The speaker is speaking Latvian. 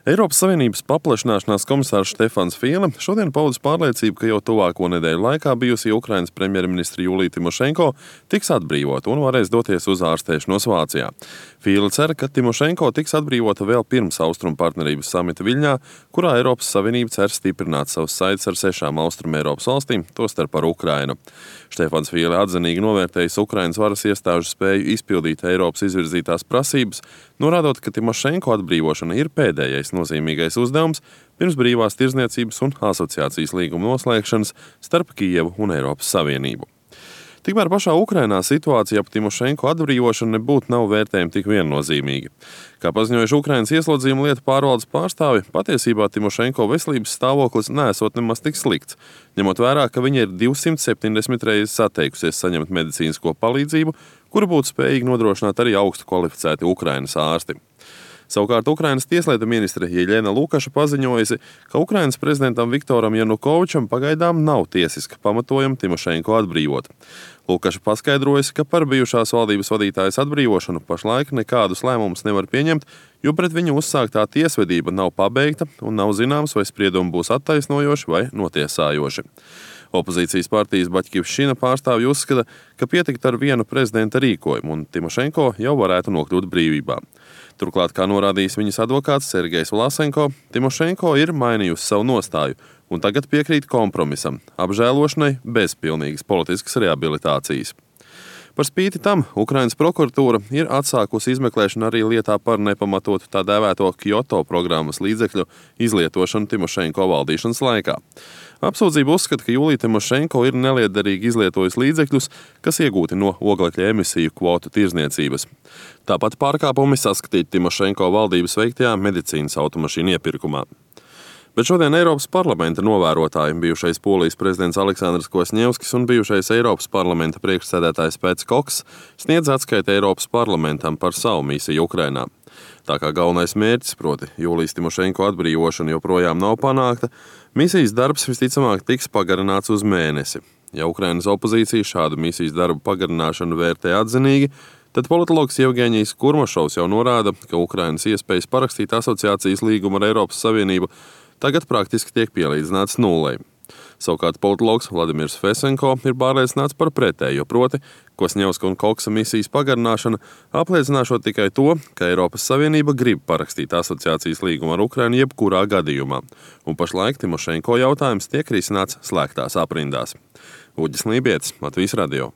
Eiropas Savienības paplašināšanās komisārs Štefans Fīle šodien paudis pārliecību, ka jau tuvāko nedēļu laikā bijusī Ukrainas premjerministre Julija Timošenko tiks atbrīvota un varēs doties uz ārstēšanos Vācijā. Fīle cer, ka Timošenko tiks atbrīvota vēl pirms Austrumu partnerības samita Viļņā, kurā Eiropas Savienība cer stiprināt savus saites ar 6 Austrumu Eiropas valstīm, tostarp ar Ukrainu. Štefans Fīle atzinīgi novērtējis Ukrainas varas iestāžu spēju izpildīt Eiropas izvirzītās prasības, norādot, ka Timošenko atbrīvošana ir pēdējais nozīmīgais uzdevums pirms brīvās tirdzniecības un asociācijas līguma noslēgšanas starp Kijevu un Eiropas Savienību. Tikmēr pašā Ukrainā situācija ap Timošenko atbrīvošanu nebūtu nav vērtējama tik viennozīmīgi. Kā paziņojuši Ukrainas ieslodzījuma lietu pārvaldes pārstāvi, patiesībā Timošenko veselības stāvoklis neesot nemaz tik slikts, ņemot vērā, ka viņa ir 270 reizes atteikusies saņemt medicīnisko palīdzību, kuru būtu spējīgi nodrošināt arī augstu kvalificēti Ukrainas ārsti. Savukārt Ukrainas tieslietu ministre Jeļena Lukaša paziņojusi, ka Ukrainas prezidentam Viktoram Janukovičam pagaidām nav tiesiska pamatojuma Timošenko atbrīvot. Lukaša paskaidrojusi, ka par bijušās valdības vadītājas atbrīvošanu pašlaik nekādus lēmumus nevar pieņemt, jo pret viņu uzsāktā tiesvedība nav pabeigta un nav zināms, vai spriedumi būs attaisnojoši vai notiesājoši. Opozīcijas partijas Baķkivšina pārstāvji uzskata, ka pietiktu ar vienu prezidenta rīkojumu un Timošenko jau varētu nokļūt brīvībā. Turklāt, kā norādījis viņas advokāts Sergejs Vlasenko, Timošenko ir mainījusi savu nostāju un tagad piekrīt kompromisam, apžēlošanai bez pilnīgas politiskas rehabilitācijas. Par spīti tam Ukrainas prokuratūra ir atsākusi izmeklēšanu arī lietā par nepamatotu tā dēvēto Kyoto programmas līdzekļu izlietošanu Timošenko valdīšanas laikā. Apsūdzība uzskata, ka Julija Timošenko ir nelietderīgi izlietojusi līdzekļus, kas iegūti no oglekļa emisiju kvotu tirdzniecības. Tāpat pārkāpumi saskatīti Timošenko valdības veiktajā medicīnas automašīnu iepirkumā. Bet šodien Eiropas parlamenta novērotāji, bijušais Polijas prezidents Aleksandrs Kvasņevskis un bijušais Eiropas parlamenta priekšsēdētājs Pēts Koks sniedz atskaiti Eiropas parlamentam par savu misiju Ukrainā. Tā kā galvenais mērķis, proti Julijas Timošenko atbrīvošana, joprojām nav panākta, misijas darbs visticamāk tiks pagarināts uz mēnesi. Ja Ukrainas opozīcija šādu misijas darbu pagarināšanu vērtē atzinīgi, tad politologs Jevgeņijs Kurmašovs jau norāda, ka Ukrainas iespējas parakstīt asociācijas līgumu ar Eiropas Savienību tagad praktiski tiek pielīdzināts nullei. Savukārt politologs Vladimirs Fesenko ir pārliecināts par pretējo, proti Kvasņevska un Koksa misijas pagarināšana apliecināšot tikai to, ka Eiropas Savienība grib parakstīt asociācijas līgumu ar Ukrainu jebkurā gadījumā, un pašlaik Timošenko jautājums tiek risināts slēgtās aprindās. Uģis Lībietis, Latvijas radio.